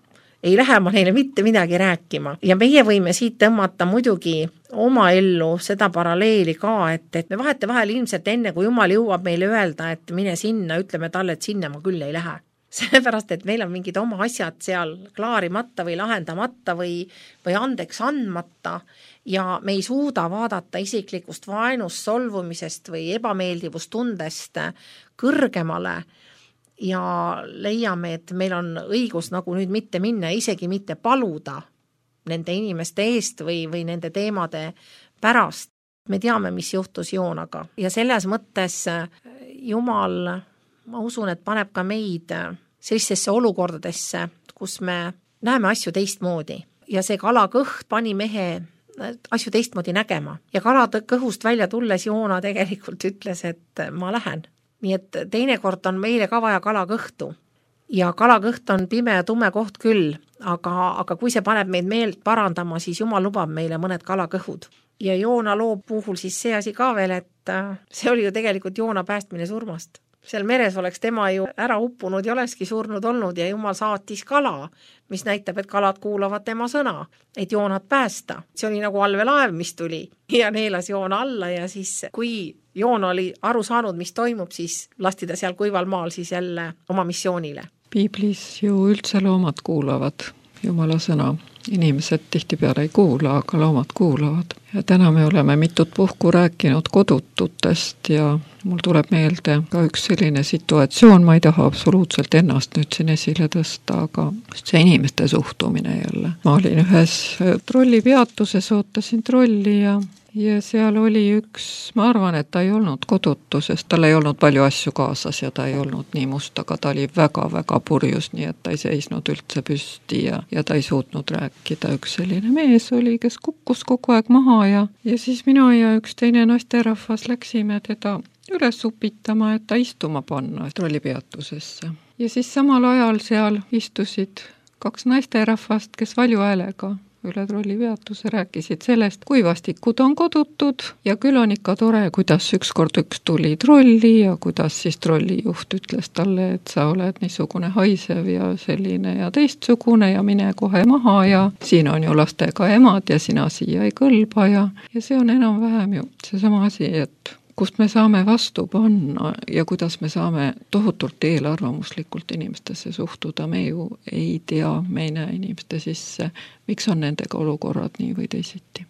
Ei lähe ma neile mitte midagi rääkima. Ja meie võime siit tõmmata muidugi oma ellu seda paralleeli ka, et me vahel ilmselt enne, kui Jumal jõuab meile öelda, et mine sinna, ütleme talle, et sinna ma küll ei lähe. Sellepärast, et meil on mingid oma asjad seal klaarimata või lahendamata või andeks andmata ja me ei suuda vaadata isiklikust vaenust, solvumisest või ebameeldivustundest kõrgemale ja leiame, et meil on õigus nagu nüüd mitte minna, isegi mitte paluda nende inimeste eest või nende teemade pärast. Me teame, mis juhtus Joonaga ja selles mõttes Jumal, ma usun, et paneb ka meid sellistesse olukordadesse, kus me näeme asju teistmoodi ja see kalakõht pani mehe asju teistmoodi nägema ja kalakõhust välja tulles Joona tegelikult ütles, et ma lähen. Nii et teinekord on meile ka vaja kalakõhtu ja kalakõht on pime ja tume koht küll, aga kui see paneb meid meelt parandama, siis Jumal lubab meile mõned kalakõhud. Ja Joona loo puhul siis see asi ka veel, et see oli ju tegelikult Joona päästmine surmast. Seal meres oleks tema ju ära uppunud ja olekski surnud olnud ja Jumal saatis kala, mis näitab, et kalad kuulavad tema sõna, et Joonat päästa. See oli nagu allveelaev, mis tuli ja neelas Joona alla ja siis kui Joon oli aru saanud, mis toimub, siis lasti ta seal kuival maal siis jälle oma missioonile. Piiblis ju üldse loomad kuulavad Jumala sõna. Inimesed tihtipeale ei kuula, aga loomad kuulavad. Ja täna me oleme mitut puhku rääkinud kodututest ja mul tuleb meelde ka üks selline situatsioon, ma ei taha absoluutselt ennast nüüd siin esile tõsta, aga see inimeste suhtumine jälle. Ma olin ühes trollipeatuses, ootasin trolli ja seal oli üks, ma arvan, et ta ei olnud kodutu, sest tal ei olnud palju asju kaasas ja ta ei olnud nii must, aga ta oli väga-väga purjus, nii et ta ei seisnud üldse püsti ja ta ei suutnud rääkida. Üks selline mees oli, kes kukkus kogu aeg maha ja siis mina ja üks teine naisterahvas läksime teda üles upitama, et ta istuma panna trollipeatusesse. Ja siis samal ajal seal istusid 2 naisterahvast, kes valju häälega üle trollipeatuse rääkisid sellest, kui vastikud on kodutud ja küll on ikka tore, kuidas ükskord üks tuli trolli ja kuidas siis trollijuht ütles talle, et sa oled niisugune haisev ja selline ja teistsugune ja mine kohe maha ja siin on ju lastega emad ja sina siia ei kõlba ja see on enam-vähem ju seesama asi, et kust me saame vastu panna ja kuidas me saame tohutult eelarvamuslikult inimestesse suhtuda. Me ju ei tea, me ei näe inimeste sisse, miks on nendega olukorrad nii või teisiti.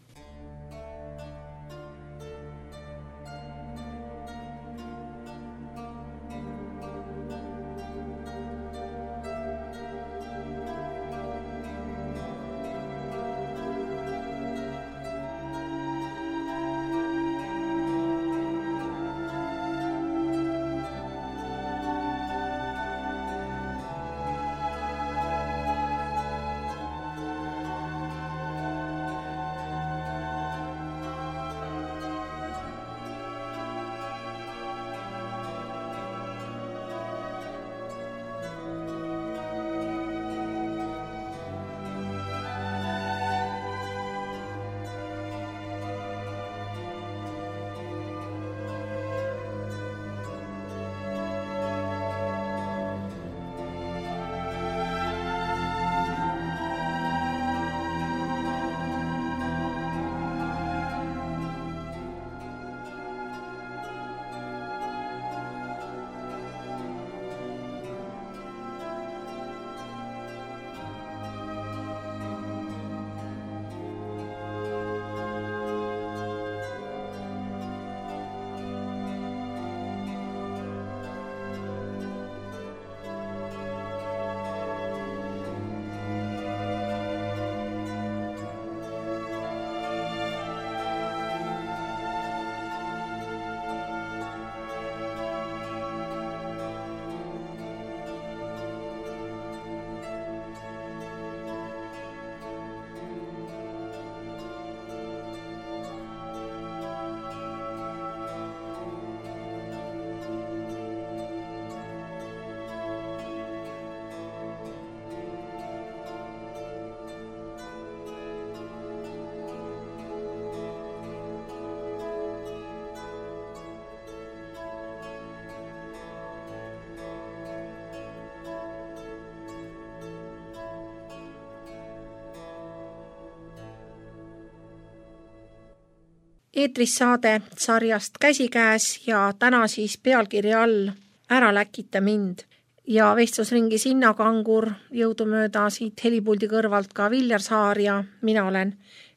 Eetris saade sarjast Käsikäes ja täna siis pealkiri all Ära läkita mind. Ja vestlusringi Sinna Kangur, jõudumööda siit helipuldi kõrvalt ka Viljar Saar ja mina olen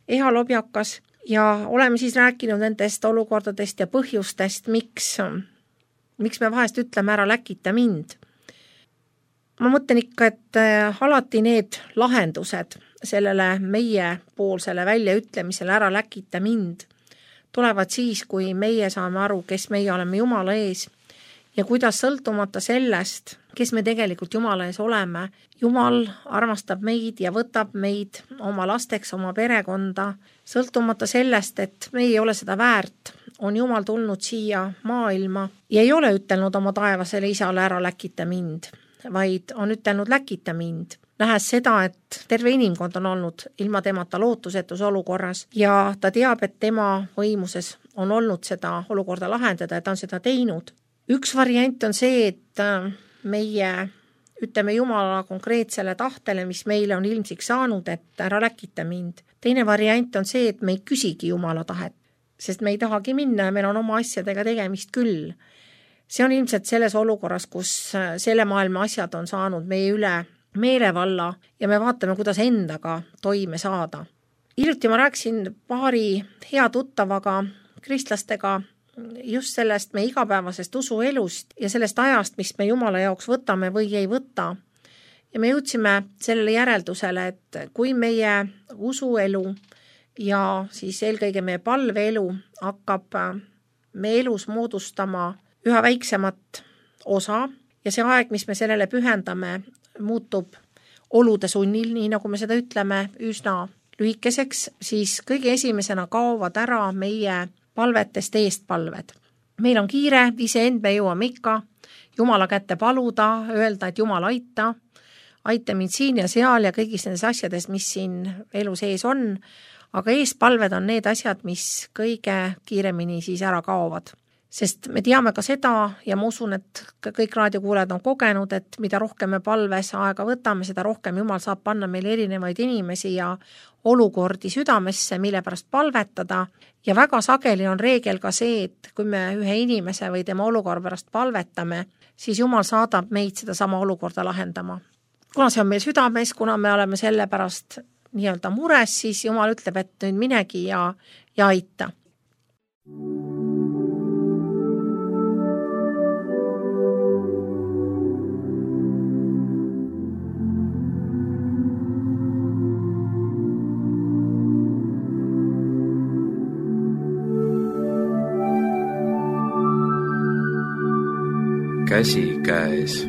Eha Lobjakas ja oleme siis rääkinud nendest olukordadest ja põhjustest, miks me vahest ütleme ära läkita mind. Ma mõtlen ikka, et alati need lahendused sellele meie poolsele väljaütlemisele ära läkita mind tulevad siis, kui meie saame aru, kes meie oleme Jumala ees ja kuidas sõltumata sellest, kes me tegelikult Jumala ees oleme, Jumal armastab meid ja võtab meid oma lasteks, oma perekonda, sõltumata sellest, et me ei ole seda väärt, on Jumal tulnud siia maailma ja ei ole ütelnud oma taevasele isale ära läkita mind, vaid on ütelnud läkita mind. Nähes seda, et terve inimkond on olnud ilma temata lootusetus olukorras ja ta teab, et tema võimuses on olnud seda olukorda lahendada ja ta on seda teinud. Üks variant on see, et meie ütleme Jumala konkreetsele tahtele, mis meile on ilmsiks saanud, et ära läkita mind. Teine variant on see, et me ei küsigi Jumala tahet. sest me ei tahagi minna ja meil on oma asjadega tegemist küll. See on ilmselt selles olukorras, kus selle maailma asjad on saanud meie üle meelevalla ja me vaatame, kuidas endaga toime saada. Hiljuti ma rääkisin paari hea tuttavaga, kristlastega, just sellest meie igapäevasest usuelust ja sellest ajast, mis me Jumala jaoks võtame või ei võta. Ja me jõudsime sellele järeldusele, et kui meie usuelu ja siis eelkõige meie palveelu hakkab meie elus moodustama üha väiksemat osa ja see aeg, mis me sellele pühendame, muutub olude sunnil, nii nagu me seda ütleme, üsna lühikeseks, siis kõige esimesena kaovad ära meie palvetest eestpalved. Meil on kiire, iseend me jõuame ikka Jumala kätte paluda, öelda, et Jumal aita mind siin ja seal ja kõigis nendes asjades, mis siin elu sees on, aga eespalved on need asjad, mis kõige kiiremini siis ära kaovad. Sest me teame ka seda ja ma usun, et kõik raadiokuulajad on kogenud, et mida rohkem me palves aega võtame, seda rohkem Jumal saab panna meile erinevaid inimesi ja olukordi südamesse, mille pärast palvetada. Ja väga sageli on reegel ka see, et kui me ühe inimese või tema olukorra pärast palvetame, siis Jumal saadab meid seda sama olukorda lahendama. Kuna see on meil südames, kuna me oleme selle pärast nii-öelda mures, siis Jumal ütleb, et nüüd minegi ja aita. Käsi käes.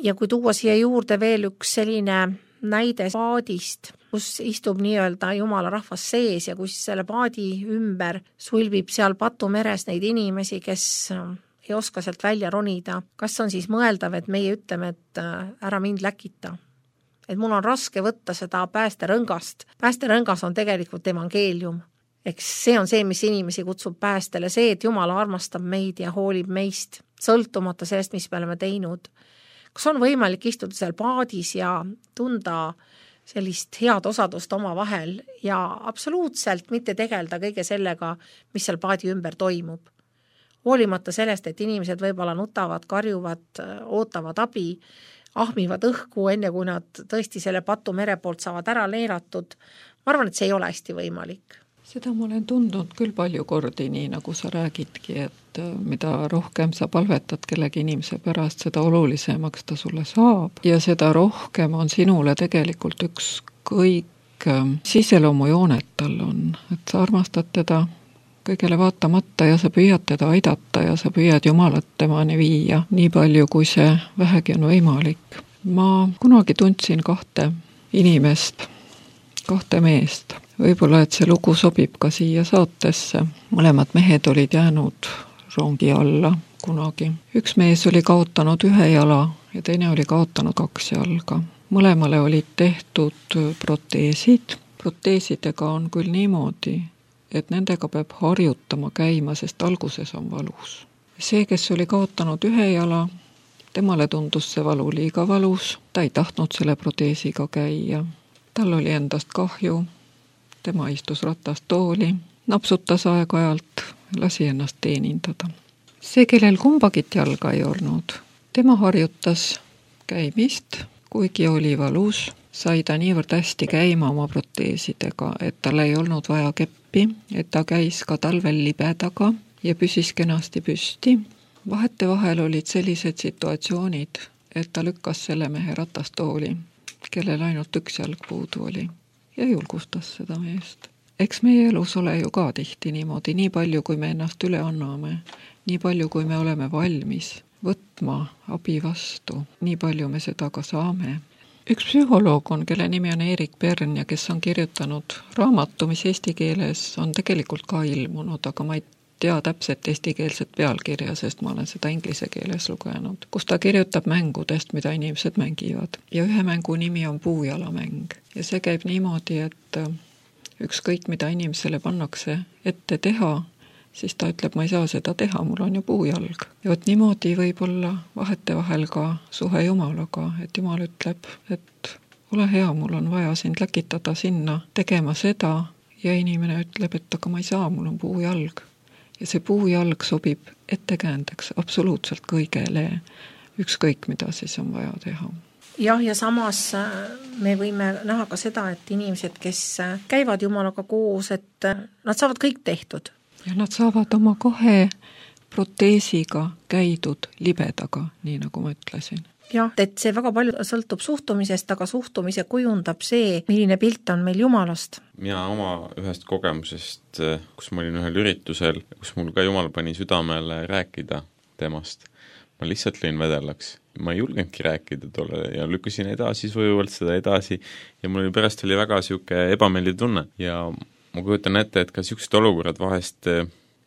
Ja kui tuua siia juurde veel üks selline näide paadist, kus istub nii-öelda Jumala rahvas sees ja kus selle paadi ümber sulbib seal patumeres neid inimesi, kes ei oska sealt välja ronida. Kas on siis mõeldav, et meie ütleme, et ära mind läkita? Et mul on raske võtta seda päästerõngast. Päästerõngas on tegelikult evangeelium. Eks see on see, mis inimesi kutsub päästele, see, et Jumal armastab meid ja hoolib meist, sõltumata sellest, mis me oleme teinud. Kas on võimalik istuda seal paadis ja tunda sellist head osadust oma vahel ja absoluutselt mitte tegelda kõige sellega, mis seal paadi ümber toimub. Hoolimata sellest, et inimesed võib-olla nutavad, karjuvad, ootavad abi, ahmivad õhku enne, kui nad tõesti selle patu mere poolt saavad ära leeratud. Ma arvan, et see ei ole hästi võimalik. Seda ma olen tundnud küll palju kordi, nii nagu sa räägidki, et mida rohkem sa palvetad kellegi inimese pärast, seda olulisemaks ta sulle saab. Ja seda rohkem on sinule tegelikult ükskõik siseloomujooned tal on. Et sa armastad teda kõigele vaatamata ja sa püüad teda aidata ja sa püüad Jumalat temani viia nii palju, kui see vähegi on võimalik. Ma kunagi tundsin kahte inimest, kahte meest. Võib-olla, et see lugu sobib ka siia saatesse. Mõlemad mehed olid jäänud rongi alla kunagi. Üks mees oli kaotanud ühe jala ja teine oli kaotanud 2 jalga. Mõlemale olid tehtud proteesid. Proteesidega on küll niimoodi, et nendega peab harjutama käima, sest alguses on valus. See, kes oli kaotanud ühe jala, temale tundus see valu liiga valus. Ta ei tahtnud selle proteesiga käia. Tal oli endast kahju. Tema istus ratastooli, napsutas aeg-ajalt, lasi ennast teenindada. See, kellel kumbagit jalga ei olnud, tema harjutas käimist, kuigi oli valus, sai ta niivõrd hästi käima oma proteesidega, et tal ei olnud vaja keppi, et ta käis ka talvel libedaga ja püsis kenasti püsti. Vahetevahel olid sellised situatsioonid, et ta lükkas selle mehe ratastooli, kellel ainult 1 jalg puudu oli. Ja julgustas seda meest. Eks meie elus ole ju ka tihti niimoodi, nii palju kui me ennast üle anname, nii palju kui me oleme valmis võtma abi vastu, nii palju me seda ka saame. Üks psühholoog on, kelle nimi on Erik Pern ja kes on kirjutanud raamatu, mis eesti keeles on tegelikult ka ilmunud, aga ma ei tea täpselt eestikeelset pealkirja, sest ma olen seda inglise keeles lugenud, kus ta kirjutab mängudest, mida inimesed mängivad. Ja ühe mängu nimi on puujalamäng. Ja see käib niimoodi, et ükskõik mida inimesele pannakse ette teha, siis ta ütleb, ma ei saa seda teha, mul on ju puujalg. Ja võt niimoodi võib olla vahetevahel ka suhe Jumalaga, et Jumal ütleb, et ole hea, mul on vaja sind läkitada sinna tegema seda ja inimene ütleb, et aga ma ei saa, mul on puujalg. Ja see puujalg sobib ettekäändeks absoluutselt kõigele, ükskõik mida siis on vaja teha. Jah, ja samas me võime näha ka seda, et inimesed, kes käivad Jumalaga koos, et nad saavad kõik tehtud. Ja nad saavad oma 2 proteesiga käidud libedaga, nii nagu ma ütlesin. Jah, et see väga palju sõltub suhtumisest, aga suhtumise kujundab see, milline pilt on meil Jumalast. Mina oma ühest kogemusest, kus ma olin ühel üritusel, kus mul ka Jumal pani südamele rääkida temast, ma lihtsalt lõin vedellaks. Ma ei julgenudki rääkida tolle ja lükkasin edasi sujuvalt seda edasi ja mul pärast oli väga siuke ebameeldiv tunne ja ma kujutan ette, et ka siuksed olukorrad vahest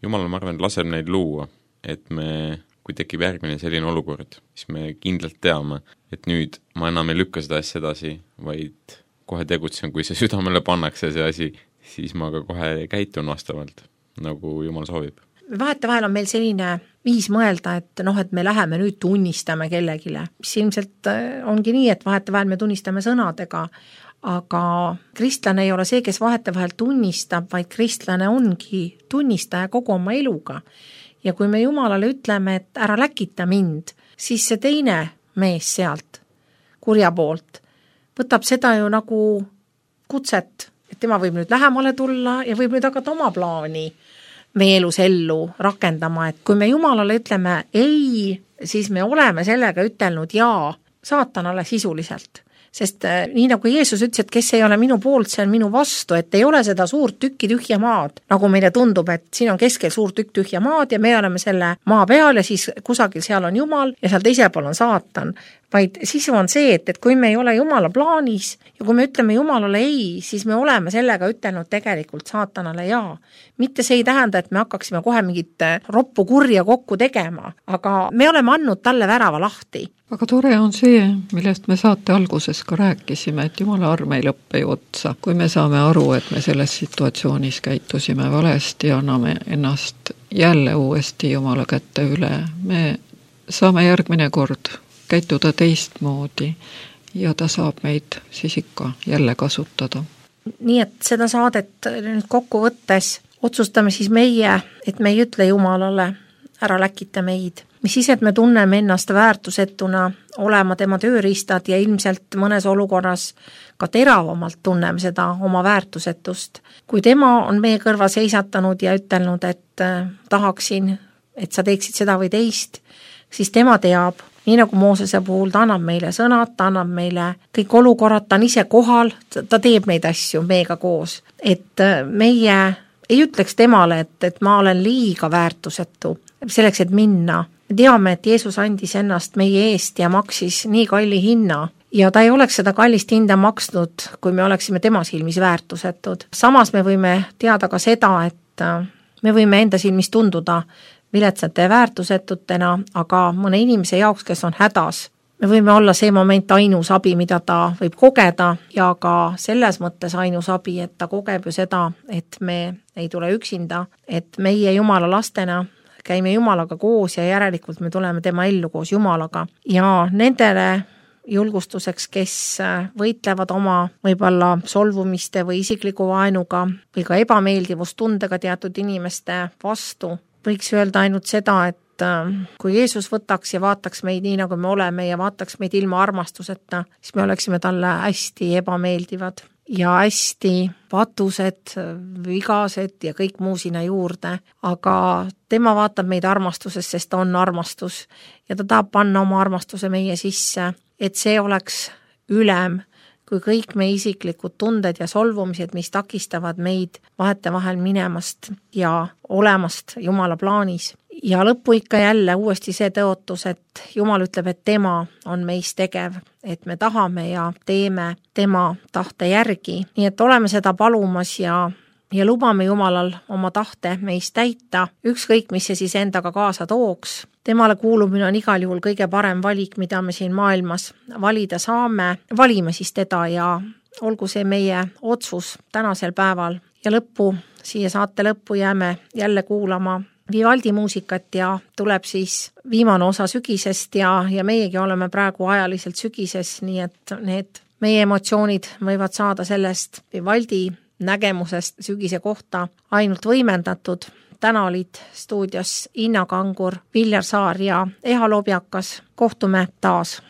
Jumal, ma arvan, laseb neid luua, et kui tekib järgmine selline olukord, siis me kindlalt teame, et nüüd ma enam ei lükka seda asja edasi, vaid kohe tegutsen, kui see südamele pannakse see asi, siis ma ka kohe käitun vastavalt, nagu Jumal soovib. Vahetevahel on meil selline viis mõelda, et et me läheme nüüd tunnistame kellegile, mis ilmselt ongi nii, et vahetevahel me tunnistame sõnadega, aga kristlane ei ole see, kes vahetevahel tunnistab, vaid kristlane ongi tunnistaja kogu oma eluga. Ja kui me Jumalale ütleme, et ära läkita mind, siis see teine mees sealt, kurja poolt, võtab seda ju nagu kutset, et tema võib nüüd lähemale tulla ja võib nüüd hakata oma plaani meie elus ellu rakendama, et kui me Jumalale ütleme ei, siis me oleme sellega ütelnud jaa saatanale sisuliselt. Sest nii nagu Jeesus ütles, et kes ei ole minu poolt, see on minu vastu, et ei ole seda suurt tükki tühja maad, nagu meile tundub, et siin on keskel suur tükk tühja maad ja me oleme selle maa peal ja siis kusagil seal on Jumal ja seal teisel pool on saatan. Vaid sisu on see, et kui me ei ole Jumala plaanis ja kui me ütleme Jumalale ei, siis me oleme sellega ütelnud tegelikult saatanale jaa. Mitte see ei tähenda, et me hakkaksime kohe mingit roppu kurja kokku tegema, aga me oleme andnud talle värava lahti. Aga tore on see, millest me saate alguses ka rääkisime, et Jumala arm ei lõppe ju otsa. Kui me saame aru, et me selles situatsioonis käitusime valesti ja anname ennast jälle uuesti Jumala kätte üle, me saame järgmine kord käituda teistmoodi ja ta saab meid siis ikka jälle kasutada. Nii et seda saadet nüüd kokku võttes otsustame siis meie, et me ei ütle Jumalale, ära läkita meid. Mis siis, et me tunneme ennast väärtusetuna olema tema tööriistad ja ilmselt mõnes olukorras ka teravamalt tunneme seda oma väärtusetust. Kui tema on meie kõrva seisatanud ja ütelnud, et tahaksin, et sa teeksid seda või teist, siis tema teab, nii nagu Moosese puhul, ta annab meile sõnad, ta annab meile kõik olukorrad, ta on ise kohal, ta teeb neid asju meiega koos. Et meie ei ütleks temale, et ma olen liiga väärtusetu selleks, et minna. Me teame, et Jeesus andis ennast meie eest ja maksis nii kalli hinna ja ta ei oleks seda kallist hinda maksnud, kui me oleksime tema silmis väärtusetud. Samas me võime teada ka seda, et me võime enda silmis tunduda viletsate ja väärtusetutena, aga mõne inimese jaoks, kes on hädas, me võime olla see moment ainus abi, mida ta võib kogeda ja ka selles mõttes ainus abi, et ta kogeb ju seda, et me ei tule üksinda, et meie Jumala lastena käime Jumalaga koos ja järelikult me tuleme tema ellu koos Jumalaga. Ja nendele julgustuseks, kes võitlevad oma võib-olla solvumiste või isikliku vaenuga või ka ebameeldivustundega teatud inimeste vastu, võiks öelda ainult seda, et kui Jeesus võtaks ja vaataks meid nii, nagu me oleme ja vaataks meid ilma armastuseta, siis me oleksime talle hästi ebameeldivad ja hästi patused, vigased ja kõik muu sinna juurde, aga tema vaatab meid armastuses, sest ta on armastus ja ta tahab panna oma armastuse meie sisse, et see oleks ülem kui kõik meie isiklikud tunded ja solvumised, mis takistavad meid vahetevahel minemast ja olemast Jumala plaanis. Ja lõppu ikka jälle uuesti see tõotus, et Jumal ütleb, et tema on meis tegev, et me tahame ja teeme tema tahte järgi. Nii et oleme seda palumas ja lubame Jumalal oma tahte meis täita, ükskõik mis see siis endaga kaasa tooks. Temale kuulumine on igal juhul kõige parem valik, mida me siin maailmas valida saame. Valime siis teda ja olgu see meie otsus tänasel päeval. Ja lõppu, siia saate lõppu jääme jälle kuulama Vivaldi muusikat ja tuleb siis viimane osa sügisest ja meiegi oleme praegu ajaliselt sügises, nii et need meie emotsioonid võivad saada sellest Vivaldi nägemusest sügise kohta ainult võimendatud. Täna olid stuudios Inna Kangur, Viljar Saar ja Eha Lobjakas. Kohtume taas!